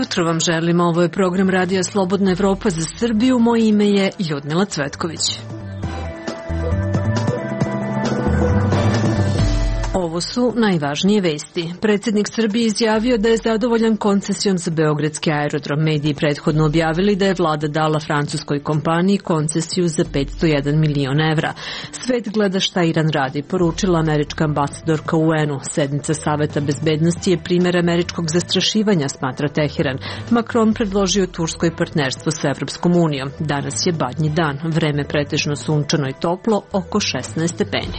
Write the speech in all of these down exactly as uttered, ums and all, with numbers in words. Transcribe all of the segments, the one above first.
Dobro vam želimo, ovo je program Radija Slobodna Evropa za Srbiju, moje ime je Ljudmila Cvetković. Ovo su najvažnije vesti. Predsjednik Srbije izjavio da je zadovoljan koncesijom za beogradski aerodrom. Mediji prethodno objavili da je vlada dala francuskoj kompaniji koncesiju za petsto jedan milion evra. Svet gleda šta Iran radi, poručila američka ambasadorka u U N-u. Sednica Saveta bezbednosti je primjer američkog zastrašivanja, smatra Teheran. Macron predložio Turskoj partnerstvo sa Evropskom unijom. Danas je badnji dan, vreme pretežno sunčano i toplo, oko šesnaest stepeni.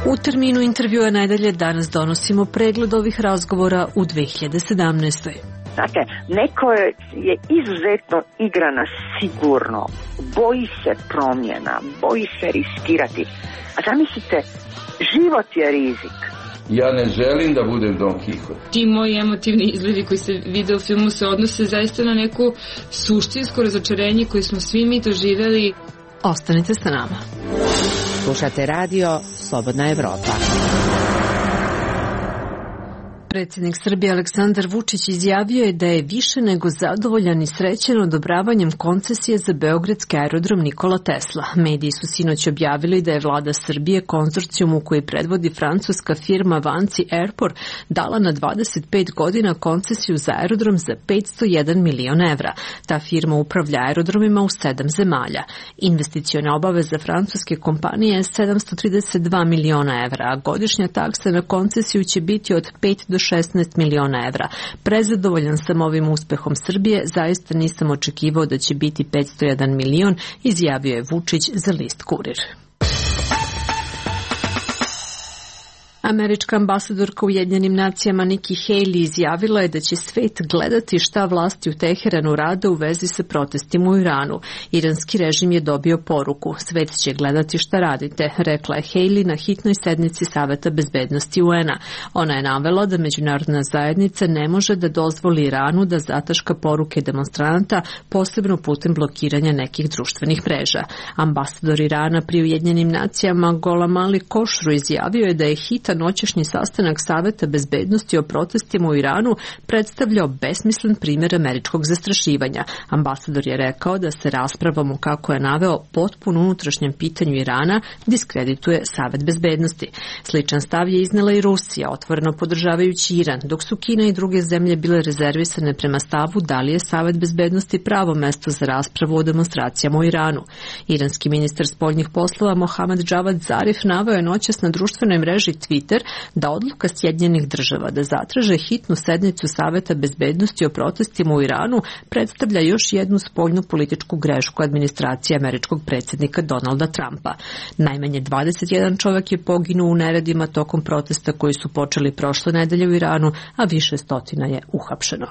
U terminu intervjua nedelje danas donosimo pregled ovih razgovora u dve hiljade sedamnaestoj. Znate, neko je, je izuzetno igrana sigurno, boji se promjena, boji se riskirati. A zamislite, život je rizik. Ja ne želim da budem Don Quixote. Ti moji emotivni izlivi koji se vide u filmu se odnose zaista na neku suštinsko razočarenje koje smo svi mi doživjeli. Ostanite sa nama. Slušate radio Slobodna Evropa. Predsjednik Srbije Aleksandar Vučić izjavio je da je više nego zadovoljan i srećen odobravanjem koncesije za beogradski aerodrom Nikola Tesla. Mediji su sinoć objavili da je vlada Srbije konzorcijumu koji predvodi francuska firma Vanci Airport dala na dvadeset pet godina koncesiju za aerodrom za petsto jedan milion evra. Ta firma upravlja aerodromima u sedam zemalja. Investicione obaveze francuske kompanije je sedamsto trideset dva miliona evra, a godišnja taksa na koncesiju će biti od pet do šesnaest miliona evra. Prezadovoljan sam ovim uspehom Srbije, zaista nisam očekivao da će biti petsto jedan milion, izjavio je Vučić za list Kurir. Američka ambasadorka u Ujedinjenim nacijama Nikki Haley izjavila je da će svet gledati šta vlasti u Teheranu rade u vezi sa protestima u Iranu. Iranski režim je dobio poruku. Svet će gledati šta radite, rekla je Haley na hitnoj sednici Saveta bezbednosti U N-a. Ona je navela da međunarodna zajednica ne može da dozvoli Iranu da zataška poruke demonstranata, posebno putem blokiranja nekih društvenih mreža. Ambasador Irana pri Ujedinjenim nacijama Gholam Ali Khosrow izjavio je da je hitan noćašnji sastanak Saveta bezbednosti o protestima u Iranu predstavljao besmislen primjer američkog zastrašivanja. Ambasador je rekao da se raspravom, kako je naveo, potpuno unutrašnjem pitanju Irana diskredituje Savet bezbednosti. Sličan stav je iznela i Rusija, otvoreno podržavajući Iran, dok su Kina i druge zemlje bile rezervisane prema stavu da li je Savet bezbednosti pravo mesto za raspravu o demonstracijama u Iranu. Iranski ministar spoljnih poslova Mohamed Javad Zarif naveo je noćas na društvenoj mreži Twitter da odluka Sjedinjenih država da zatraže hitnu sednicu Saveta bezbednosti o protestima u Iranu predstavlja još jednu spoljnu političku grešku administracije američkog predsjednika Donalda Trumpa. Najmanje dvadeset jedan čovjek je poginuo u neredima tokom protesta koji su počeli prošle nedelje u Iranu, a više stotina je uhapšeno.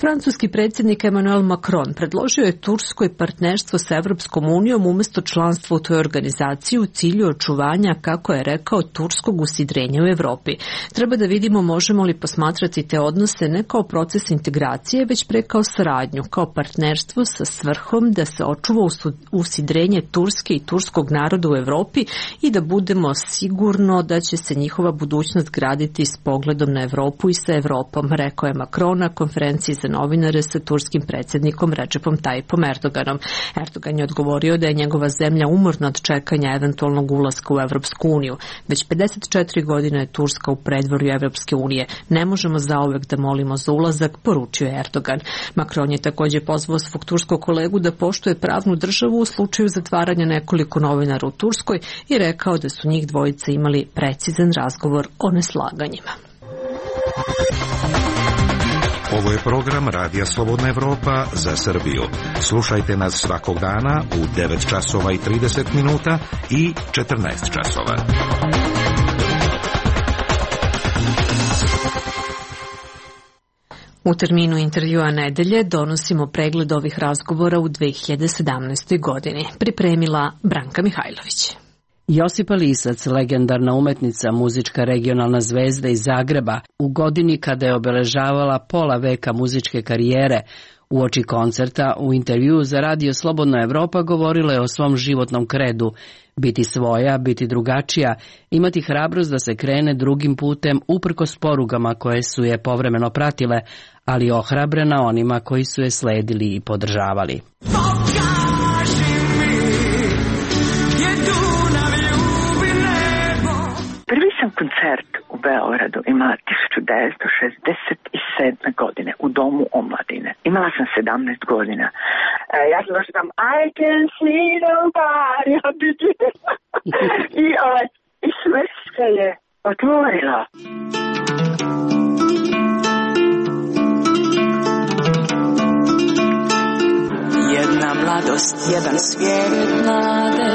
Francuski predsjednik Emmanuel Macron predložio je Turskoj partnerstvo sa Evropskom unijom umjesto članstva u toj organizaciji u cilju očuvanja, kako je rekao, turskog usidrenja u Evropi. Treba da vidimo možemo li posmatrati te odnose ne kao proces integracije, već pre kao saradnju, kao partnerstvo sa svrhom da se očuva usidrenje Turske i turskog naroda u Evropi i da budemo sigurno da će se njihova budućnost graditi s pogledom na Evropu i sa Evropom, rekao je Macron na konferenciji za novinare sa turskim predsjednikom Recepom Tayyipom Erdoganom. Erdogan je odgovorio da je njegova zemlja umorna od čekanja eventualnog ulaska u Evropsku uniju. Već pedeset četiri godine je Turska u predvorju Evropske unije. Ne možemo zauvek da molimo za ulazak, poručio je Erdogan. Macron je također pozvao svog turskog kolegu da poštuje pravnu državu u slučaju zatvaranja nekoliko novinara u Turskoj i rekao da su njih dvojica imali precizan razgovor o neslaganjima. Ovo je program Radija Slobodna Evropa za Srbiju. Slušajte nas svakog dana u devet časova i trideset minuta i četrnaest časova. U terminu intervjua nedelje donosimo pregled ovih razgovora u dve hiljade sedamnaestoj godini. Pripremila Branka Mihajlović. Josipa Lisac, legendarna umetnica, muzička regionalna zvezda iz Zagreba, u godini kada je obeležavala pola veka muzičke karijere, uoči koncerta u intervjuu za Radio Slobodna Evropa govorila je o svom životnom kredu, biti svoja, biti drugačija, imati hrabrost da se krene drugim putem uprkos porugama koje su je povremeno pratile, ali ohrabrena onima koji su je sledili i podržavali. Prvi sam koncert u Beogradu imala hiljadu devetsto šezdeset sedme. godine u Domu omladine. Imala sam sedamnaest godina. E, ja sam došla tam I can see nobody i, ovaj, i sve se je otvorila. Jedna mladost, jedan svijet nade,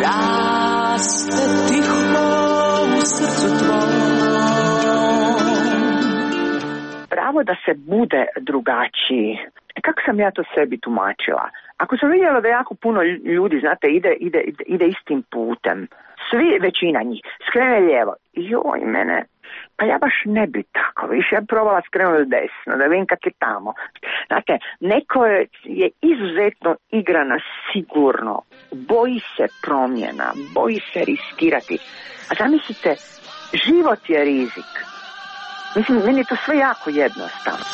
raste tiho u srcu tvojom. Pravo da se bude drugačiji. Kako sam ja to sebi tumačila? Ako sam vidjela da jako puno ljudi, znate, ide, ide, ide istim putem, svi, većina njih, skrene lijevo. Joj, mene, pa ja baš ne bi tako, više ja probala skrenuti desno, da vidim kak je tamo. Znate, neko je, je izuzetno igrana sigurno, boji se promjena, boji se riskirati. A zamislite, život je rizik. Mislim, meni je to sve jako jednostavno.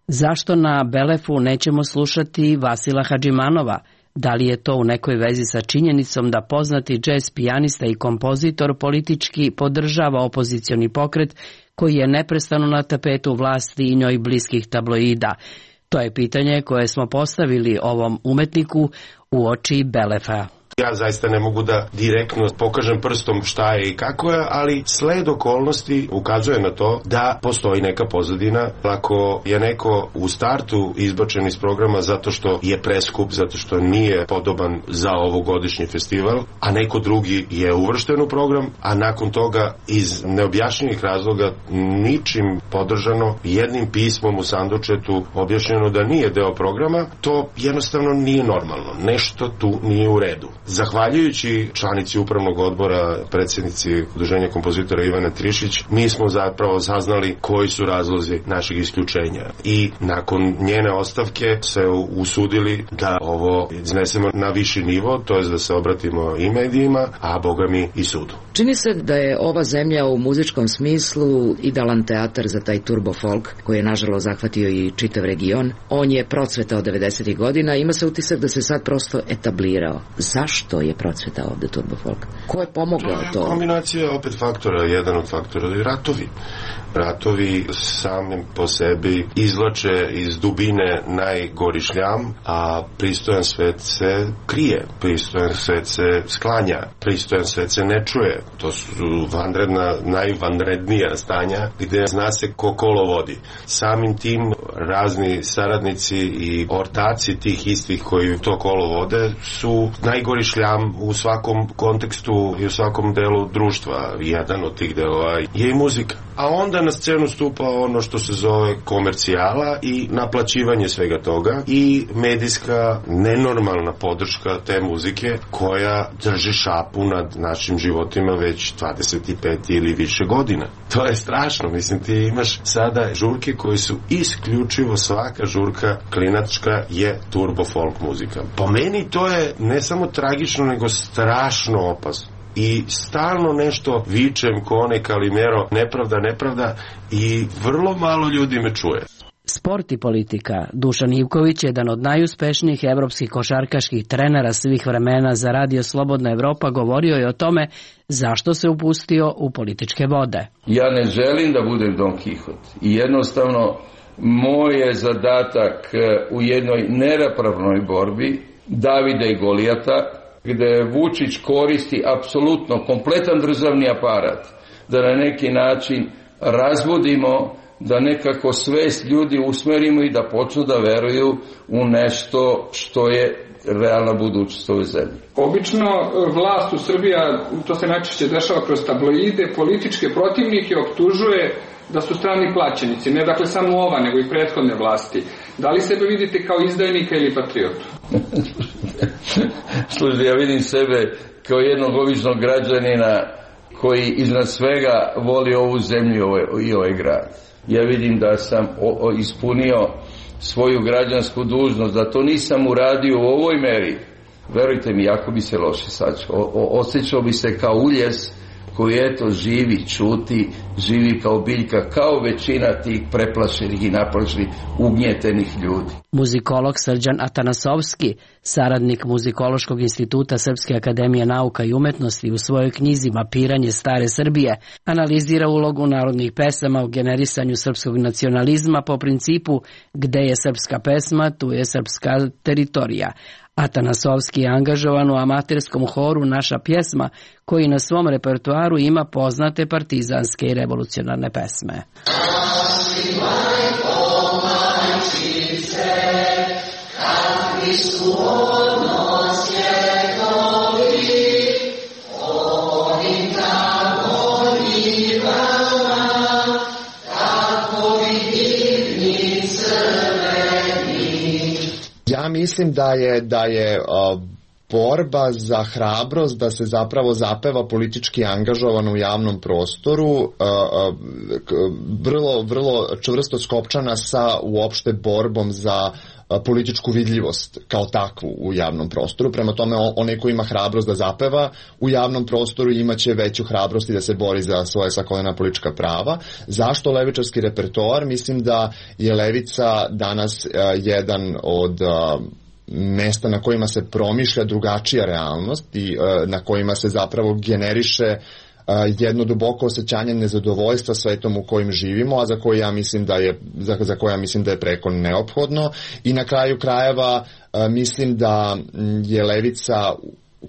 Zašto na Belefu nećemo slušati Vasila Hadžimanova? Da li je to u nekoj vezi sa činjenicom da poznati džez pijanista i kompozitor politički podržava opozicioni pokret koji je neprestano na tapetu vlasti i njoj bliskih tabloida? To je pitanje koje smo postavili ovom umetniku uoči Belefa. Ja zaista ne mogu da direktno pokažem prstom šta je i kako je, ali sled okolnosti ukazuje na to da postoji neka pozadina. Ako je neko u startu izbačen iz programa zato što je preskup, zato što nije podoban za ovogodišnji festival, a neko drugi je uvršten u program, a nakon toga iz neobjašnjenih razloga ničim podržano, jednim pismom u sandučetu objašnjeno da nije deo programa, to jednostavno nije normalno. Nešto tu nije u redu. Zahvaljujući članici upravnog odbora, predsjednici Udruženja kompozitora Ivana Trišić, mi smo zapravo saznali koji su razlozi našeg isključenja. I nakon njene ostavke se usudili da ovo iznesemo na viši nivo, to je da se obratimo i medijima, a boga mi i sudu. Čini se da je ova zemlja u muzičkom smislu idealan teatar za taj turbo folk koji je nažalost zahvatio i čitav region. On je procvetao devedesetih godina, ima se utisak da se sad prosto etablirao. Zašto je procvetao ovde turbo folk? Ko je pomogao to? To je kombinacija opet faktora, jedan od faktora je ratovi. Ratovi samim po sebi izvlače iz dubine najgori šljam, a pristojan svet se krije, pristojan svet se sklanja, pristojan svet se ne čuje. To su vanredna, najvanrednija stanja gde zna se ko kolo vodi. Samim tim razni saradnici i ortaci tih istih koji to kolo vode su najgori šljam u svakom kontekstu i u svakom delu društva. Jedan od tih delova je i muzika. A onda na scenu stupa ono što se zove komercijala i naplaćivanje svega toga i medijska nenormalna podrška te muzike koja drži šapu nad našim životima već dvadeset pet ili više godina. To je strašno, mislim, ti imaš sada žurke koje su isključivo, svaka žurka klinačka je turbo folk muzika. Po meni to je ne samo tragično, nego strašno opasno. I stalno nešto vičem ko onaj Kalimero, nepravda, nepravda, i vrlo malo ljudi me čuje. Sport i politika. Dušan Ivković je jedan od najuspešnijih evropskih košarkaških trenera svih vremena za Radio Slobodna Evropa govorio je o tome zašto se upustio u političke vode. Ja ne želim da budem Don Kihot i jednostavno moj je zadatak u jednoj neravnopravnoj borbi Davida i Golijata, gde Vučić koristi apsolutno kompletan državni aparat da na neki način razvodimo, da nekako svest ljudi usmerimo i da počnu da veruju u nešto što je realna budućnost ove zemlje. Obično vlast u Srbiji, to se najčešće dešava kroz tabloide, političke protivnike optužuje da su strani plaćenici, ne dakle samo ova, nego i prethodne vlasti. Da li sebe vidite kao izdajnika ili patriotu? Slušaj, ja vidim sebe kao jednog običnog građanina koji iznad svega voli ovu zemlju i ovaj grad. Ja vidim da sam o, o, ispunio svoju građansku dužnost, da to nisam uradio u ovoj meri. Verujte mi, jako bi se loše sačekao. Osjećao bi se kao uljes koji eto živi, čuti, živi kao biljka, kao većina tih preplašenih i naplašenih, ugnjetenih ljudi. Muzikolog Srđan Atanasovski, saradnik Muzikološkog instituta Srpske akademije nauka i umetnosti, u svojoj knjizi Mapiranje stare Srbije analizira ulogu narodnih pesama u generisanju srpskog nacionalizma po principu gde je srpska pesma, tu je srpska teritorija. Atanasovski je angažovan u amaterskom horu Naša pjesma, koji na svom repertoaru ima poznate partizanske i revolucionarne pesme. Ja mislim da je da je uh, borba za hrabrost da se zapravo zapeva politički angažovan u javnom prostoru uh, uh, vrlo, vrlo čvrsto skopčana sa uopšte borbom za uh, političku vidljivost kao takvu u javnom prostoru. Prema tome, onaj ko ima hrabrost da zapeva u javnom prostoru imaće veću hrabrost i da se bori za svoje svakodnevna politička prava. Zašto levičarski repertoar? Mislim da je levica danas uh, jedan od uh, mesta na kojima se promišlja drugačija realnost i uh, na kojima se zapravo generiše uh, jedno duboko osjećanje nezadovoljstva svetom u kojim živimo, a za koje ja mislim da je za, za koje ja mislim da je preko neophodno. I na kraju krajeva uh, mislim da je levica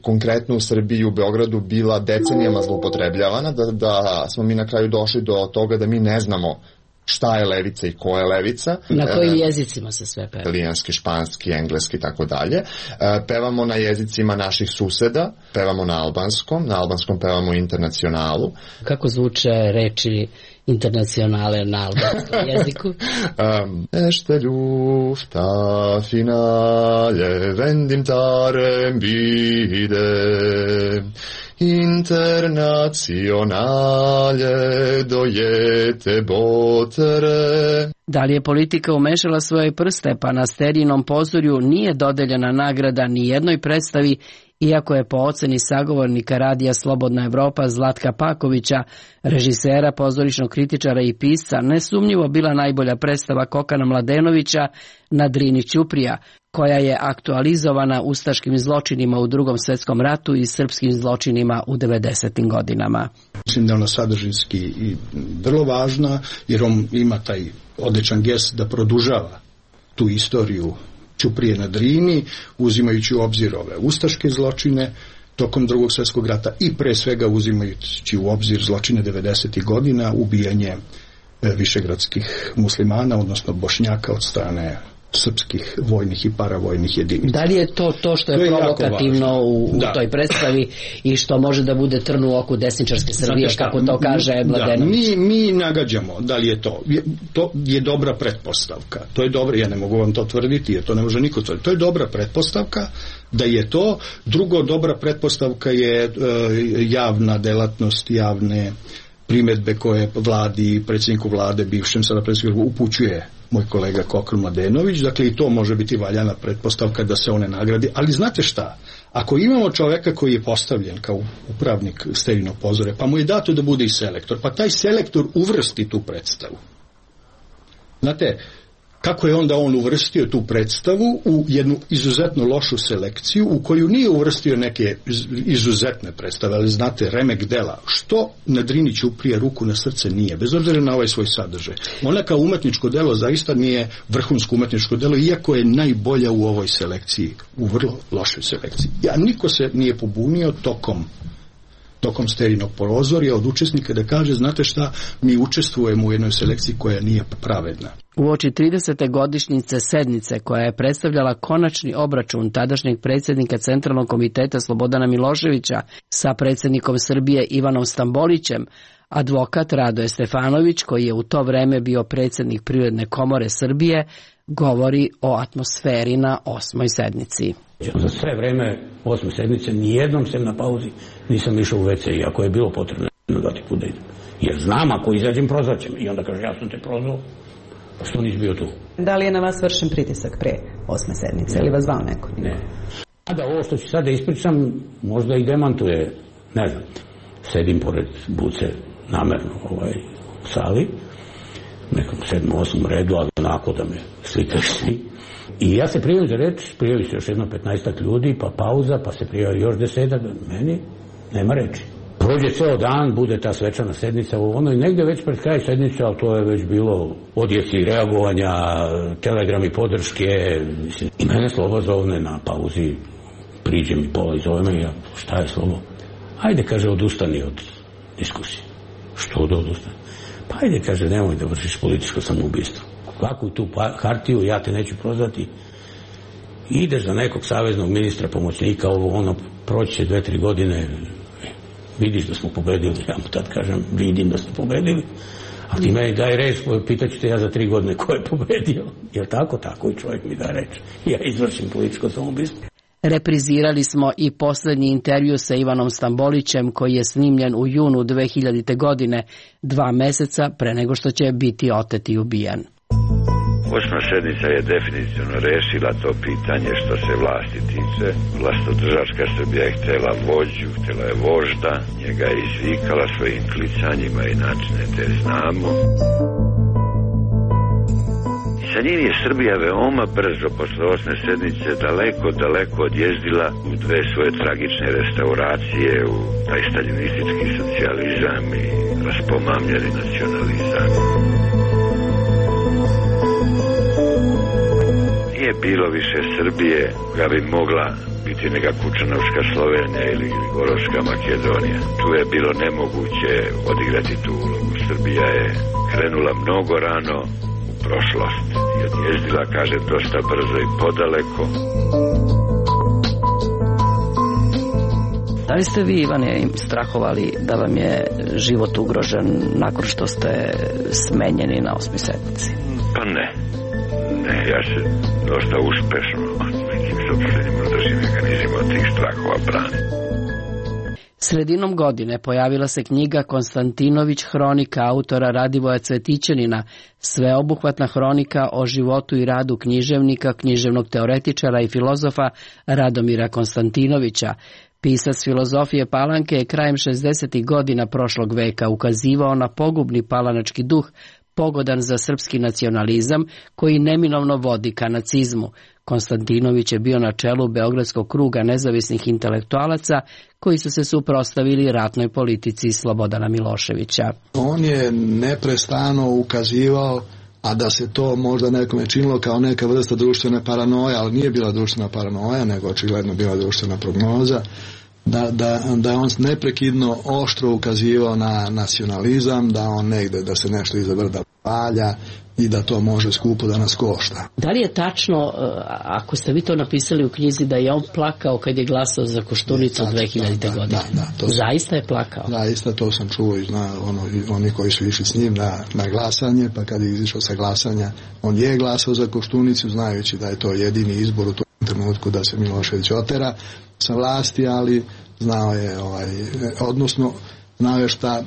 konkretno u Srbiji i u Beogradu bila decenijama zloupotrebljavana, da, da smo mi na kraju došli do toga da mi ne znamo šta je levica i ko je levica. Na kojim jezicima se sve peva? Italijanski, španski, engleski i tako dalje. Pevamo na jezicima naših suseda, pevamo na albanskom, na albanskom pevamo internacionalu. Kako zvuče reči internacionale na albanskom jeziku? Um, Ešte ljufta finale vendim tarem bide internacionale dojete botere. Da li je politika umešala svoje prste, pa na Sterijinom pozorju nije dodeljena nagrada ni jednoj predstavi, iako je po oceni sagovornika radija Slobodna Evropa Zlatka Pakovića, režisera, pozorišnog kritičara i pisca, nesumnjivo bila najbolja predstava Kokana Mladenovića na Drini Ćuprija, koja je aktualizovana ustaškim zločinima u Drugom svetskom ratu i srpskim zločinima u devedesetim godinama. Mislim da je ona sadržinski i vrlo važna, jer on ima taj odličan gest da produžava tu istoriju Ćuprije na Drini, uzimajući u obzir ove ustaške zločine tokom Drugog svjetskog rata i pre svega uzimajući u obzir zločine devedesetih godina, ubijanje višegradskih muslimana, odnosno Bošnjaka od strane srpskih vojnih i paravojnih jedinica. Da li je to to što je, je provokativno u, u toj predstavi i što može da bude trn u oku desničarske Srbije, kako to kaže Mladenović? Da, mi, mi nagađamo da li je to. Je, to je dobra pretpostavka. To je dobro, ja ne mogu vam to tvrditi, jer to ne može niko tvrditi. To je dobra pretpostavka da je to. Drugo, dobra pretpostavka je e, javna delatnost, javne primedbe koje vladi, predsjedniku vlade, bivšem sada predsjedniku, upućuje moj kolega Kokan Mladenović, dakle i to može biti valjana pretpostavka da se one nagradi, ali znate šta, ako imamo čoveka koji je postavljen kao upravnik Sterijinog pozorja, pa mu je dato da bude i selektor, pa taj selektor uvrsti tu predstavu. Znate, kako je onda on uvrstio tu predstavu u jednu izuzetno lošu selekciju u koju nije uvrstio neke izuzetne predstave, ali znate, remek dela, što na Drini Ćuprije ruku na srce nije, bez obzira na ovaj svoj sadržaj. Ona kao umetničko delo zaista nije vrhunsko umetničko delo, iako je najbolja u ovoj selekciji, u vrlo lošoj selekciji. Ja, niko se nije pobunio tokom tokom Sterijinog pozorja od učesnika da kaže, znate šta, mi učestvujemo u jednoj selekciji koja nije pravedna. Uoči tridesete godišnjice sednice koja je predstavljala konačni obračun tadašnjeg predsjednika Centralnog komiteta Slobodana Miloševića sa predsjednikom Srbije Ivanom Stambolićem, advokat Radoje Stefanović, koji je u to vreme bio predsjednik Privredne komore Srbije, govori o atmosferi na osmoj sednici. Za sve vreme osme sedmice nijednom sem na pauzi nisam išao u ve ce, iako je bilo potrebno da ti put da idem. Jer znam, ako izađem, prozvaćem. I onda kaže, ja sam te prozvao, što nisi bio tu. Da li je na vas vršen pritisak pre osme sedmice ili vas zvao neko? Ne. A da ovo što ću sad da ispričam, možda i demantuje, ne znam, sedim pored Buce namerno ovaj, u sali, nekom sedmom, osmom redu, ali onako da me slikaju svi. I ja se prijavim za reč, prijavi se još jedno petnaestak ljudi, pa pauza, pa se prijavi još desetak, meni nema reči. Prođe ceo dan, bude ta svečana sednica u ono i negde već pred kraj sednice, ali to je već bilo odjeci reagovanja, telegrami podrške, mislim. I mene Slobo zovne na pauzi, priđe mi pola i zove me, ja, šta je Slobo? Ajde, kaže, odustani od diskusije. Što da odustani? Pa ajde, kaže, nemoj da vršiš političko samoubistvo. Kako tu hartiju, ja te neću prozvati. Ideš za nekog saveznog ministra, pomoćnika, ovo ono, proći dve, tri godine, vidiš da smo pobedili, ja mu tad kažem, vidim da smo pobedili, a ti meni daj reč, pitaću te ja za tri godine ko je pobedio. Jel tako? Tako i čovjek mi da reč. Ja izvršim političko samoubistvo. Reprizirali smo i poslednji intervju sa Ivanom Stambolićem koji je snimljen u junu dve hiljadite. godine, dva meseca pre nego što će biti otet i ubijen. Osma sednica je definitivno rešila to pitanje što se vlasti tiče. Vlastodržačka Srbija je htjela vođu, htjela je vožda, njega je izvikala svojim klicanjima i načine te znamo. I sa njim je Srbija veoma brzo posle osme sednice daleko, daleko odjezdila u dve svoje tragične restauracije, u taj staljinistički socijalizam i raspomamljeni nacionalizam. Nije bilo više Srbije koja bi mogla biti neka Kučanovska Slovenija ili Gorovska Makedonija. Tu je bilo nemoguće odigrati tu ulogu. Srbija je krenula mnogo rano u prošlost i odjezdila, kaže, dosta brzo i podaleko. Da li ste vi, Ivane, strahovali da vam je život ugrožen nakon što ste smenjeni na osmoj sednici? Pa ne. Ne, ja se dosta uspešno nekim sopstvenim unutrašnjim mehanizmima tih strahova branim. Sredinom godine pojavila se knjiga Konstantinović hronika autora Radivoja Cvetićanina, sveobuhvatna hronika o životu i radu književnika, književnog teoretičara i filozofa Radomira Konstantinovića. Pisac filozofije Palanke je krajem šezdesetih godina prošlog veka ukazivao na pogubni palanački duh, pogodan za srpski nacionalizam, koji neminovno vodi ka nacizmu. Konstantinović je bio na čelu Beogradskog kruga nezavisnih intelektualaca koji su se suprotstavili ratnoj politici Slobodana Miloševića. On je neprestano ukazivao, a da se to možda nekome činilo kao neka vrsta društvene paranoje, ali nije bila društvena paranoja, nego očigledno bila društvena prognoza, da, da, da je on neprekidno oštro ukazivao na nacionalizam, da on negde, da se nešto iza brda palja i da to može skupo da nas košta. Da li je tačno, ako ste vi to napisali u knjizi, da je on plakao kad je glasao za Koštunicu dve hiljadite. godine? Da, da, to zaista je plakao? Zaista, to sam čuo i zna, ono, oni koji su išli s njim na, na glasanje, pa kad je izišao sa glasanja, on je glasao za Koštunicu, znajući da je to jedini izbor u tom trenutku da se Milošević otera sa vlasti, ali znao je, ovaj, odnosno znao je šta,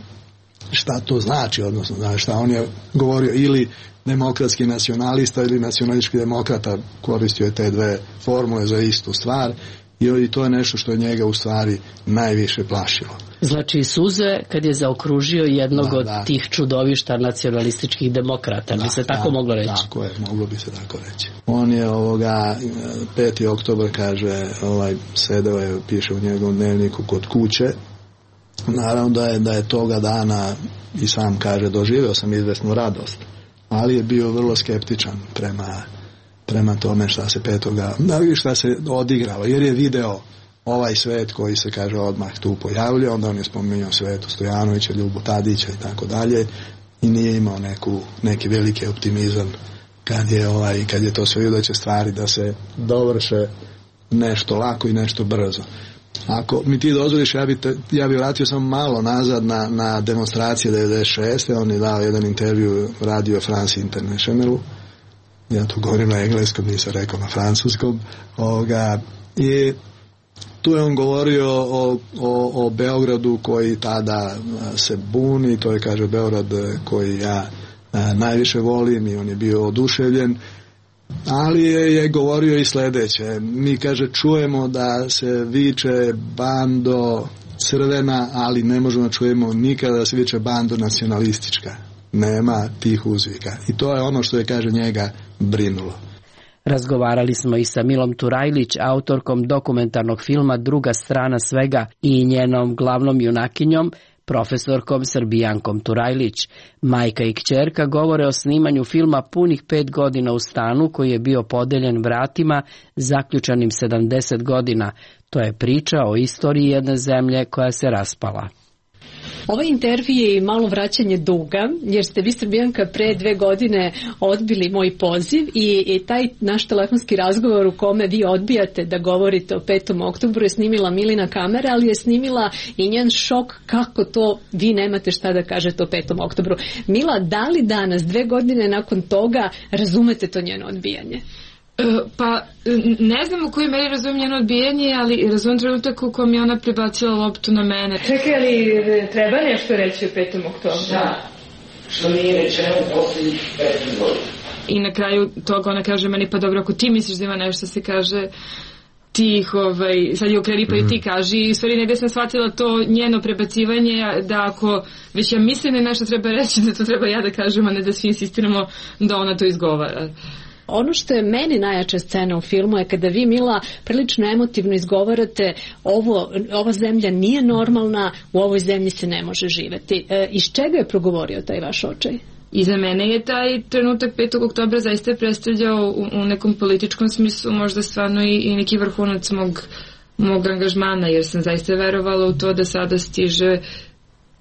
šta to znači, odnosno znao je šta on je govorio, ili demokratski nacionalista ili nacionalistički demokrata, koristio je te dve formule za istu stvar i to je nešto što je njega u stvari najviše plašilo. Znači suze kad je zaokružio jednog da, od da. tih čudovišta nacionalističkih demokrata, da, bi se tako da, moglo reći? Tako je, moglo bi se tako reći. On je ovoga, peti oktobar kaže, ovaj, sedeo je, piše u njegovom dnevniku kod kuće. Naravno da je, da je toga dana i sam kaže, doživio sam izvesnu radost, ali je bio vrlo skeptičan prema, prema tome šta se petoga, šta se odigralo, jer je video ovaj svet koji se, kaže, odmah tu pojavljao, onda on je spominjao Svetu Stojanovića, Ljubu Tadića i tako dalje, i nije imao neku, neki veliki optimizam kad je, ovaj, kad je to sve vidio da će stvari da se dovrše nešto lako i nešto brzo. Ako mi ti dozvoliš, ja bi, te, ja bi vratio samo malo nazad na, na demonstracije devedeset šeste. On je dao jedan intervju Radio France Internationalu ja to govorim na engleskom, nisam rekao na francuskom, ovoga, i tu je on govorio o, o, o Beogradu koji tada se buni, to je, kaže, Beograd koji ja a, najviše volim, i on je bio oduševljen, ali je, je govorio i sledeće. Mi, kaže, čujemo da se viče bando crvena, ali ne možemo da čujemo nikada da se viče bando nacionalistička. Nema tih uzvika. I to je ono što je, kaže, njega brinulo. Razgovarali smo i sa Milom Turajlić, autorkom dokumentarnog filma Druga strana svega, i njenom glavnom junakinjom, profesorkom Srbijankom Turajlić. Majka i kćerka govore o snimanju filma punih pet godina u stanu koji je bio podeljen vratima zaključanim sedamdeset godina. To je priča o istoriji jedne zemlje koja se raspala. Ovaj intervju je i malo vraćanje duga, jer ste vi, Srbijanka, pre dve godine odbili moj poziv i, i taj naš telefonski razgovor u kome vi odbijate da govorite o petom oktobru je snimila Milina kamera, ali je snimila i njen šok kako to vi nemate šta da kažete o petom oktobru. Mila, da li danas, dve godine nakon toga, razumete to njeno odbijanje? Pa, ne znam u kojoj meri razumijem njeno odbijanje, ali razumijem trenutak u kojem je ona prebacila loptu na mene. Čekaj, ali treba nešto reći o petom oktobru? Šta? Što nije rečeno u posljednjih pet godina. I na kraju toga ona kaže meni, pa dobro, ako ti misliš da ima nešto, se kaže ti, ovaj, sad je okreni pa i ti kaži, i u stvari negdje sam shvatila to njeno prebacivanje, da ako već ja mislim da nešto treba reći, da to treba ja da kažem, a ne da svi insistiramo da ona to izgovara. Ono što je meni najjača scena u filmu je kada vi, Mila, prilično emotivno izgovarate ovo, ova zemlja nije normalna, u ovoj zemlji se ne može živeti. E, iz čega je progovorio taj vaš očaj? I za mene je taj trenutak petog oktobra zaista predstavljao u, u nekom političkom smislu možda stvarno i, i neki vrhunac mog, mog angažmana, jer sam zaista verovala u to da sada stiže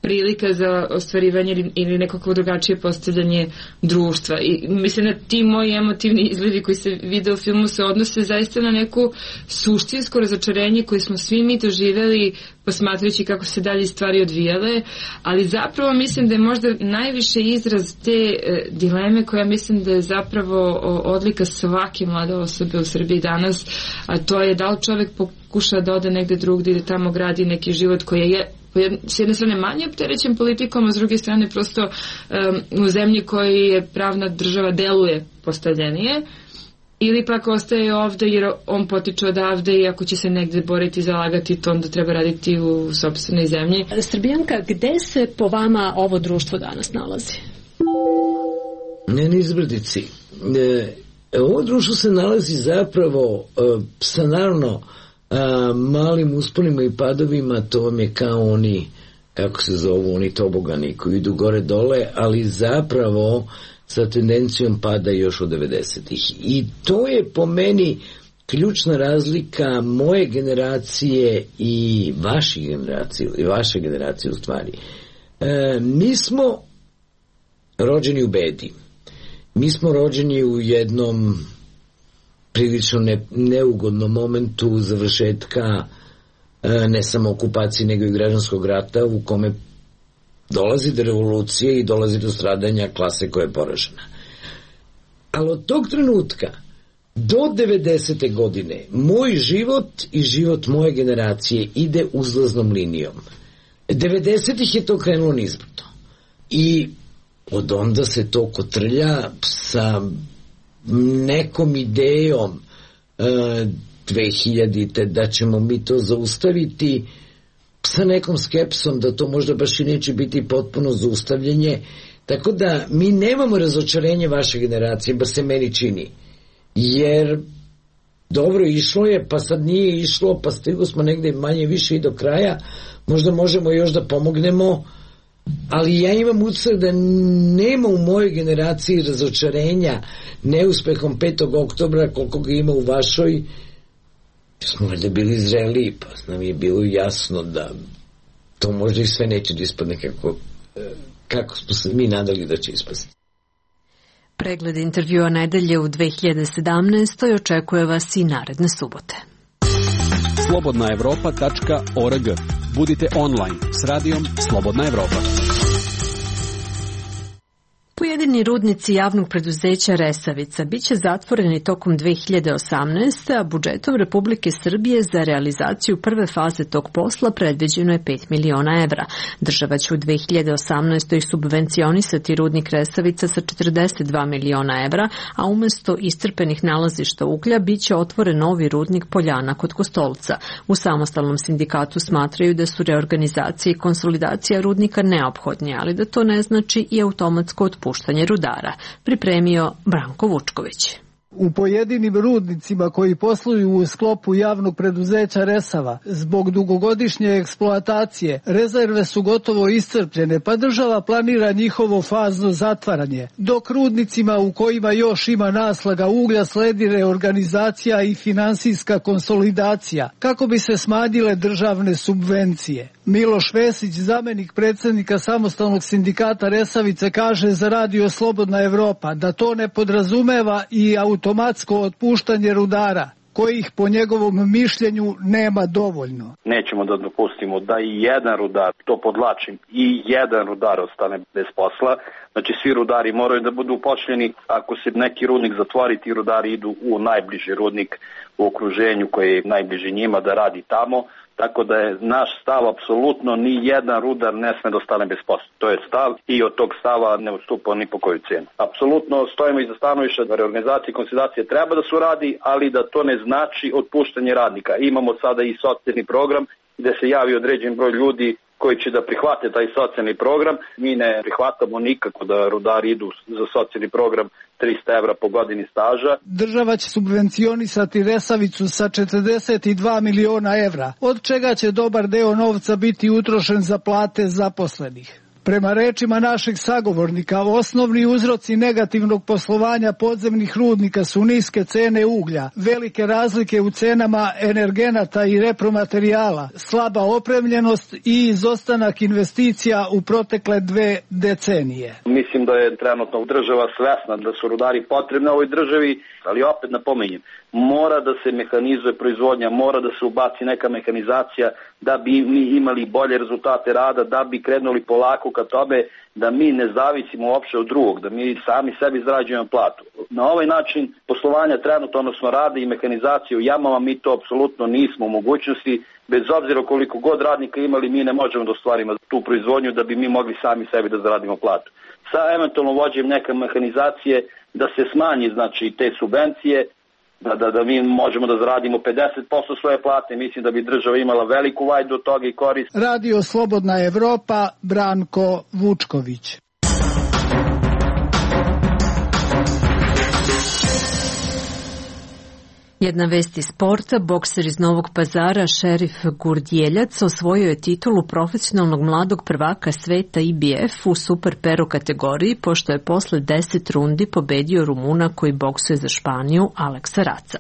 prilika za ostvarivanje ili, ili nekako drugačije postavljanje društva. I mislim da ti moji emotivni izgledi koji se vide u filmu se odnose zaista na neku suštinsko razočarenje koje smo svi mi doživjeli posmatrajući kako se dalje stvari odvijale, ali zapravo mislim da je možda najviše izraz te e, dileme koja mislim da je zapravo odlika svake mlade osobe u Srbiji danas, a to je da li čovjek pokuša da ode negde drugdje i da tamo gradi neki život koji je s jedne strane manje opterećen politikom, a s druge strane prosto um, u zemlji koji je pravna država deluje postavljenije, ili pak ostaje ovde jer on potiče odavde i ako će se negde boriti i zalagati, to onda treba raditi u sopstvenoj zemlji. Srbijanka, gde se po vama ovo društvo danas nalazi? Ne, na izbrdici. E, ovo društvo se nalazi zapravo e, sa naravno a, malim usponima i padovima, to vam je kao oni, kako se zovu, oni tobogani koji idu gore dole, ali zapravo sa tendencijom pada još od devedesetih. I to je po meni ključna razlika moje generacije i vaše generacije, i vaše generacije u stvari. E, mi smo rođeni u bedi. Mi smo rođeni u jednom prilično ne, neugodnom momentu završetka e, ne samo okupacije nego i građanskog rata u kome dolazi do revolucije i dolazi do stradanja klase koja je poražena. Ali od tog trenutka do devedesete godine moj život i život moje generacije ide uzlaznom linijom. devedesetih je to krenulo nizbrdo. I od onda se to kotrlja sa nekom idejom e, dve hiljadite da ćemo mi to zaustaviti, sa nekom skepsom da to možda baš i neće biti potpuno zaustavljanje. Tako da mi nemamo razočarenje vaše generacije, ba se meni čini. Jer dobro, išlo je, pa sad nije išlo, pa stigli smo negde manje više i do kraja, možda možemo još da pomognemo, ali ja imam utisak da nema u mojoj generaciji razočarenja neuspehom petog oktobra koliko ga ima u vašoj. Smo valjda bili zreli, pa nam je bilo jasno da to možda i sve neće da ispadne kako, kako smo se mi nadali da će ispasti. Pregled intervjua nedelje u dve hiljade sedamnaestoj očekuje vas i naredne subote. slobodna evropa tačka org. Budite online s radijom Slobodna Evropa. Pojedini rudnici javnog preduzeća Resavica biće zatvoreni tokom dve hiljade osamnaeste. a budžetom Republike Srbije za realizaciju prve faze tog posla predviđeno je pet miliona evra. Država će u dve hiljade osamnaestoj subvencionisati rudnik Resavica sa četrdeset dva miliona evra, a umesto iscrpenih nalazišta uglja biće otvoren novi rudnik Poljana kod Kostolca. U samostalnom sindikatu smatraju da su reorganizacija i konsolidacija rudnika neophodnje, ali da to ne znači i automatsko otpuštanje rudara. Pripremio Branko Vučković. U pojedinim rudnicima koji posluju u sklopu javnog preduzeća Resava, zbog dugogodišnje eksploatacije, rezerve su gotovo iscrpljene, pa država planira njihovo fazno zatvaranje. Dok rudnicima u kojima još ima naslaga uglja sledi reorganizacija i finansijska konsolidacija, kako bi se smanjile državne subvencije. Miloš Vesić, zamenik predsjednika samostalnog sindikata Resavice, kaže za Radio Slobodna Evropa da to ne podrazumeva i automatsko otpuštanje rudara, kojih po njegovom mišljenju nema dovoljno. Nećemo da dopustimo da i jedan rudar, to podlačim, i jedan rudar ostane bez posla. Znači svi rudari moraju da budu upošljeni. Ako se neki rudnik zatvori, ti rudari idu u najbliži rudnik u okruženju koji je najbliži njima da radi tamo. Tako da je naš stav apsolutno ni jedan rudar ne sme da ostane bez posla. To je stav i od tog stava ne odstupa ni po koju cijenu. Apsolutno stojimo iza stanovišta da reorganizacija i konsolidacija treba da se uradi, ali da to ne znači otpuštanje radnika. Imamo sada i socijalni program gde se javi određen broj ljudi koji će da prihvate taj socijalni program. Mi ne prihvatamo nikako da rudari idu za socijalni program trista evra po godini staža. Država će subvencionisati Resavicu sa četrdeset dva miliona evra, od čega će dobar deo novca biti utrošen za plate zaposlenih. Prema rečima našeg sagovornika, osnovni uzroci negativnog poslovanja podzemnih rudnika su niske cene uglja, velike razlike u cenama energenata i repromaterijala, slaba opremljenost i izostanak investicija u protekle dve decenije. Mislim da je trenutno država svesna da su rudari potrebni ovoj državi, ali opet napominjem, mora da se mehanizuje proizvodnja, mora da se ubaci neka mehanizacija da bi mi imali bolje rezultate rada, da bi krenuli polako ka tome da mi ne zavisimo uopšte od drugog, da mi sami sebi zarađujemo platu. Na ovaj način poslovanja trenutno, odnosno rada i mehanizacije u jamama, mi to apsolutno nismo u mogućnosti, bez obzira koliko god radnika imali, mi ne možemo da ostvarimo tu proizvodnju da bi mi mogli sami sebi da zaradimo platu. Sa eventualno vođenjem neke mehanizacije da se smanji, znači, te subvencije, Da, da, da mi možemo da zaradimo pedeset posto svoje plate, mislim da bi država imala veliku vajdu od toga i korist. Radio Slobodna Evropa, Branko Vučković. Jedna vest iz sporta, bokser iz Novog Pazara Šerif Gurdjeljac osvojio je titulu profesionalnog mladog prvaka sveta I B F u super pero kategoriji, pošto je posle deset rundi pobedio Rumuna koji boksuje za Španiju Aleksa Raca.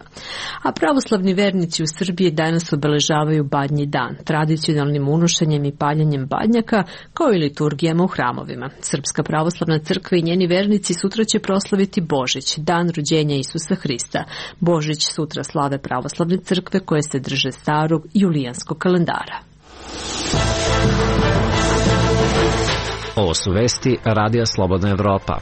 A pravoslavni vernici u Srbiji danas obeležavaju Badnji dan, tradicionalnim unošenjem i paljenjem badnjaka, kao i liturgijama u hramovima. Srpska pravoslavna crkva i njeni vernici sutra će proslaviti Božić, dan rođenja Isusa Hrista. Božić sutra Sutra slave pravoslavne crkve koje se drže starog julijanskog kalendara. Ovo su vesti Radija Slobodna Evropa.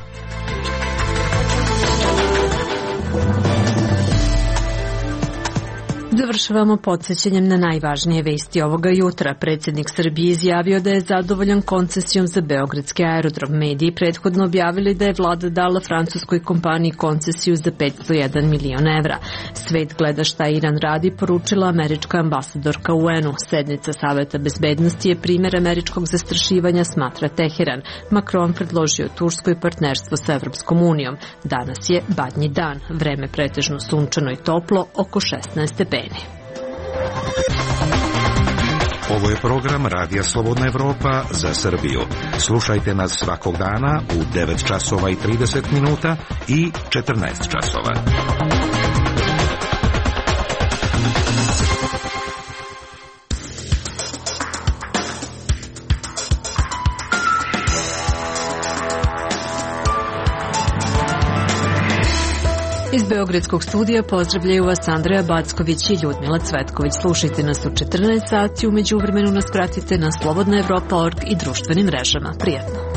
Završavamo podsjećanjem na najvažnije vesti ovoga jutra. Predsjednik Srbije izjavio da je zadovoljan koncesijom za beogradski aerodrom. Mediji prethodno objavili da je vlada dala francuskoj kompaniji koncesiju za petsto jedan milion evra. Svet gleda šta Iran radi, poručila američka ambasadorka u U N U. Sednica Saveta bezbednosti je primjer američkog zastrašivanja, smatra Teheran. Macron predložio Turskoj partnerstvo sa Evropskom unijom. Danas je Badnji dan. Vreme pretežno sunčano i toplo, oko šesnaest stepeni. Ovo je program Radija Slobodna Evropa za Srbiju. Slušajte nas svakog dana u devet časova i trideset minuta i četrnaest časova. Iz Beogradskog studija pozdravljaju vas Andreja Backović i Ljudmila Cvetković. Slušajte nas u četrnaest sati, u međuvremenu nas pratite na slobodna evropa tačka org i društvenim mrežama. Prijetno!